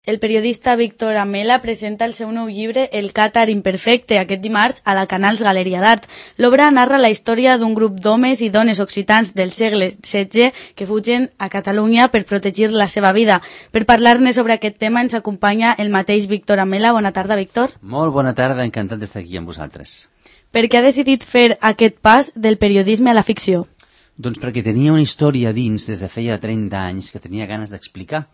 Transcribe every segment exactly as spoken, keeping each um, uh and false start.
el periodista Víctor Amela presenta el seu nou llibre El Càtar imperfecte aquest dimarts a la Canals Galeria d'Art. L'obra narra la història d'un grup d'homes i dones occitans del segle setze que fugen a Catalunya per protegir la seva vida. Per parlar-ne sobre aquest tema ens acompanya el mateix Víctor Amela. Bona tarda, Víctor. Molt bona tarda, encantat d'estar aquí amb vosaltres. Per què ha decidit fer aquest pas del periodisme a la ficció? Doncs perquè tenia una història dins des de feia trenta anys que tenia ganes d'explicar.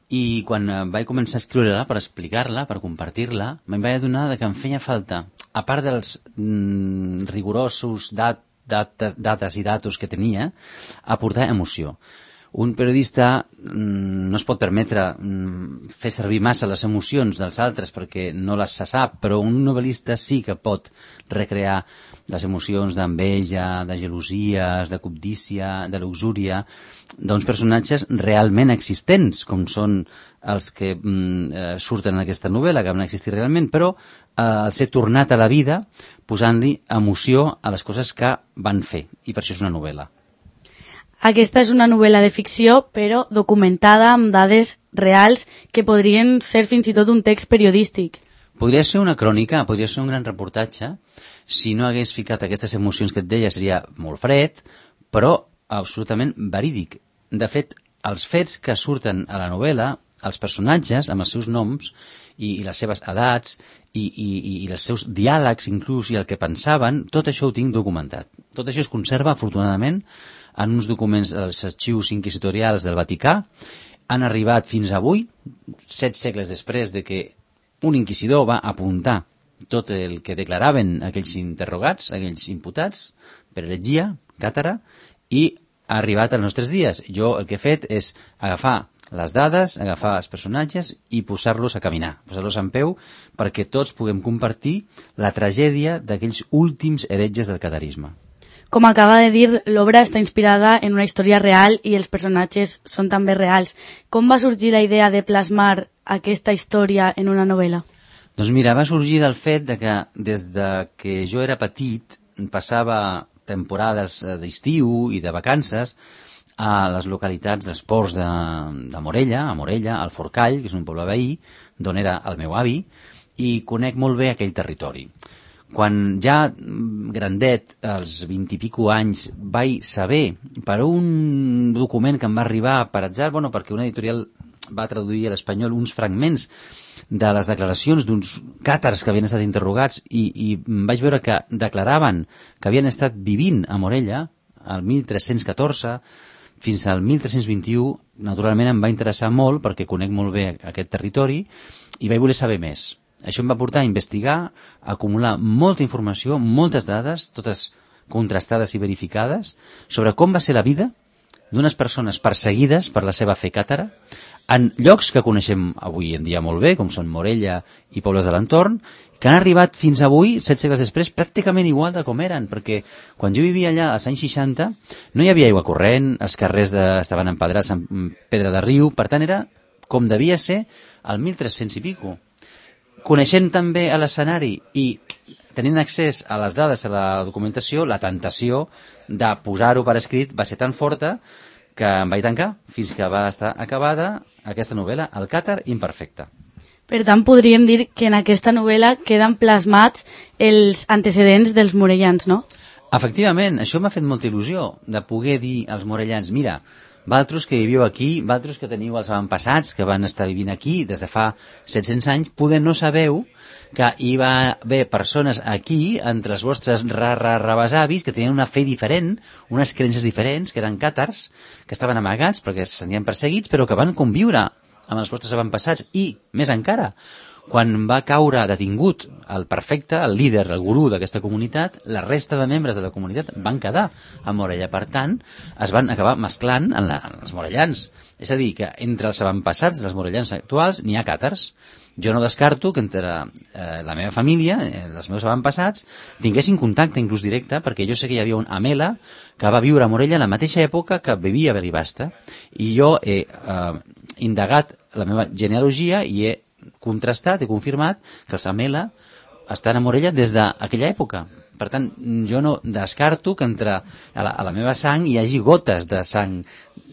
I quan vaig començar a escriure-la per explicar-la, per compartir-la, me'n vaig adonar que em feia falta, a part dels mm, rigorosos dat, dat, dates i datos que tenia, aportar emoció. Un periodista mm, no es pot permetre mm, fer servir massa les emocions dels altres perquè no les se sap, però un novel·lista sí que pot recrear les emocions d'enveja, de gelosies, de cobdícia, de luxúria, d'uns personatges realment existents, com són els que mm, eh, surten en aquesta novel·la, que van existir realment, però eh, al ser tornat a la vida, posant-li emoció a les coses que van fer, i per això és una novel·la. Aquesta és una novel·la de ficció, però documentada amb dades reals que podrien ser fins i tot un text periodístic. Podria ser una crònica, podria ser un gran reportatge. Si no hagués ficat aquestes emocions que et deia, seria molt fred, però absolutament verídic. De fet, els fets que surten a la novel·la, els personatges, amb els seus noms i, i les seves edats i, i, i els seus diàlegs inclús i el que pensaven, tot això ho tinc documentat. Tot això es conserva, afortunadament, en uns documents dels arxius inquisitorials del Vaticà. Han arribat fins avui, set segles després de que un inquisidor va apuntar tot el que declaraven aquells interrogats, aquells imputats, per heretgia, càtara, i ha arribat als nostres dies. Jo el que he fet és agafar les dades, agafar els personatges i posar-los a caminar, posar-los en peu, perquè tots puguem compartir la tragèdia d'aquells últims heretges del catarisme. Com acaba de dir, l'obra està inspirada en una història real i els personatges són també reals. Com va sorgir la idea de plasmar aquesta història en una novel·la? Doncs mira, va sorgir del fet de que des de que jo era petit passava temporades d'estiu i de vacances a les localitats dels ports de, de Morella, a Morella, al Forcall, que és un poble veí, d'on era el meu avi, i conec molt bé aquell territori. Quan ja grandet, als vint i pico anys, vaig saber per un document que em va arribar per atzar, bueno, perquè una editorial va traduir a l'espanyol uns fragments de les declaracions d'uns càtars que havien estat interrogats i, i vaig veure que declaraven que havien estat vivint a Morella el mil tres-cents catorze fins al mil tres-cents vint-i-u. Naturalment em va interessar molt perquè conec molt bé aquest territori i vaig voler saber més. Això em va portar a investigar, a acumular molta informació, moltes dades, totes contrastades i verificades, sobre com va ser la vida d'unes persones perseguides per la seva fe càtara en llocs que coneixem avui en dia molt bé, com són Morella i pobles de l'entorn, que han arribat fins avui, set segles després, pràcticament igual de com eren, perquè quan jo vivia allà als anys seixanta no hi havia aigua corrent, els carrers de, estaven empedrats amb pedra de riu, per tant era com devia ser al mil tres-cents i pico. Coneixent també a l'escenari i tenint accés a les dades, a la documentació, la tentació de posar-ho per escrit va ser tan forta que em vaig tancar fins que va estar acabada aquesta novel·la, El Càtar imperfecte. Per tant, podríem dir que en aquesta novel·la queden plasmats els antecedents dels morellans, no? Efectivament, això m'ha fet molta il·lusió de poder dir als morellans, mira, vosaltres que viviu aquí, vosaltres que teniu els avantpassats que van estar vivint aquí des de fa set-cents anys, poder no sabeu que hi va haver persones aquí, entre els vostres ra-ra-rabesavis, que tenien una fe diferent, unes creences diferents, que eren càtars, que estaven amagats perquè se sentien perseguits, però que van conviure amb els vostres avantpassats i, més encara, quan va caure detingut el perfecte, el líder, el gurú d'aquesta comunitat, la resta de membres de la comunitat van quedar a Morella. Per tant, es van acabar mesclant en, la, en els morellans. És a dir, que entre els avantpassats dels morellans actuals n'hi ha càtars. Jo no descarto que entre eh, la meva família, eh, els meus avantpassats, tinguessin contacte inclús directe, perquè jo sé que hi havia un Amela que va viure a Morella a la mateixa època que vivia a Belibasta, i jo he eh, indagat la meva genealogia i he contrastat, he confirmat que els Amela estan a Morella des d'aquella època. Per tant, jo no descarto que entre a la, a la meva sang hi hagi gotes de sang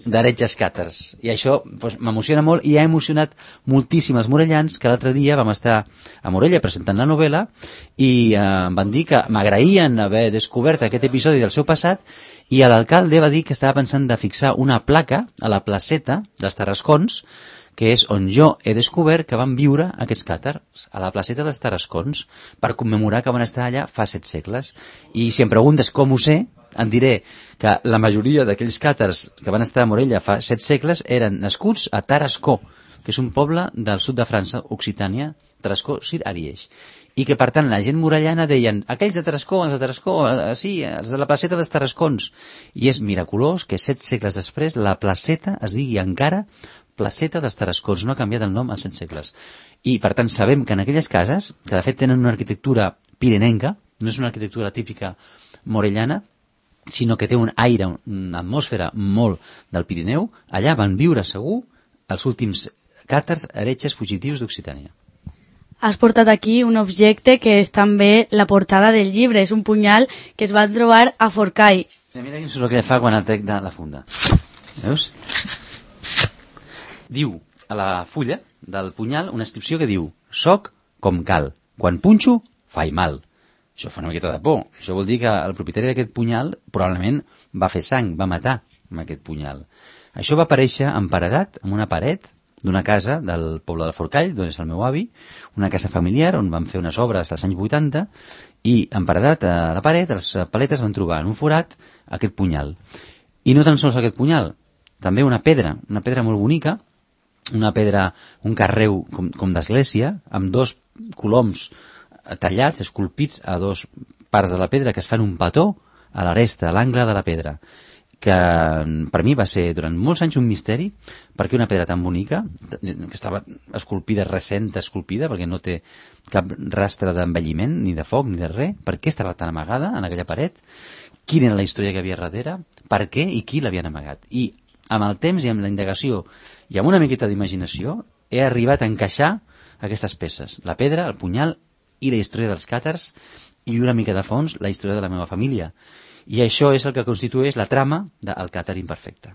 d'heretges càtars. I això doncs, m'emociona molt i ha emocionat moltíssim els morellans, que l'altre dia vam estar a Morella presentant la novel·la i eh, em van dir que m'agraïen haver descobert aquest episodi del seu passat i l'alcalde va dir que estava pensant de fixar una placa a la placeta dels Tarascons, que és on jo he descobert que van viure aquests càtars, a la placeta dels Tarascons, per commemorar que van estar allà fa set segles. I si em preguntes com ho sé, em diré que la majoria d'aquells càtars que van estar a Morella fa set segles eren nascuts a Tarascó, que és un poble del sud de França, Occitània, Tarascó, Sir Ariège. I que, per tant, la gent morellana deien aquells de Tarascó, els de Tarascó, eh, sí, els de la placeta dels Tarascons. I és miraculós que set segles després la placeta es digui encara placeta dels Tarascons, no ha canviat el nom en set segles. I, per tant, sabem que en aquelles cases, que de fet tenen una arquitectura pirenenca, no és una arquitectura típica morellana, sinó que té un aire, una atmosfera molt del Pirineu, allà van viure segur els últims càtars heretges fugitius d'Occitània. Has portat aquí un objecte que és també la portada del llibre, és un punyal que es va trobar a Forcall. Mira quin soroll que fa quan el trec de la funda. Veus? Diu a la fulla del punyal una inscripció que diu «Soc com cal, quan punxo, fai mal». Això fa una miqueta de por. Això vol dir que el propietari d'aquest punyal probablement va fer sang, va matar amb aquest punyal. Això va aparèixer emparedat en una paret d'una casa del poble de Forcall, d'on és el meu avi, una casa familiar on van fer unes obres als anys vuitanta, i emparedat a la paret, els paletes van trobar en un forat aquest punyal. I no tan sols aquest punyal, també una pedra, una pedra molt bonica, una pedra, un carreu com, com d'església, amb dos coloms tallats, esculpits a dos parts de la pedra que es fan un petó a l'aresta, a l'angle de la pedra, que per mi va ser durant molts anys un misteri, perquè una pedra tan bonica, que estava esculpida, recent esculpida, perquè no té cap rastre d'envelliment, ni de foc, ni de res, per què estava tan amagada en aquella paret, quina era la història que havia darrere, per què i qui l'havien amagat. I amb el temps i amb la indagació i amb una miqueta d'imaginació he arribat a encaixar aquestes peces, la pedra, el punyal i la història dels càtars i una mica de fons la història de la meva família. I això és el que constitueix la trama del Càtar Imperfecte.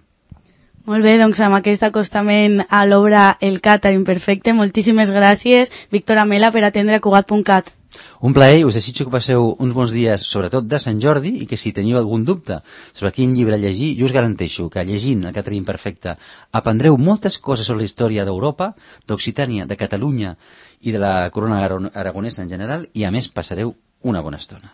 Molt bé, doncs amb aquest acostament a l'obra El Càtar Imperfecte, moltíssimes gràcies, Víctor Amela, per atendre a Cugat punt cat. Un plaer, us desitjo que passeu uns bons dies, sobretot de Sant Jordi, i que si teniu algun dubte sobre quin llibre llegir, jo us garanteixo que llegint El Càtar Imperfecte aprendreu moltes coses sobre la història d'Europa, d'Occitània, de Catalunya i de la corona aragonesa en general, i a més passareu una bona estona.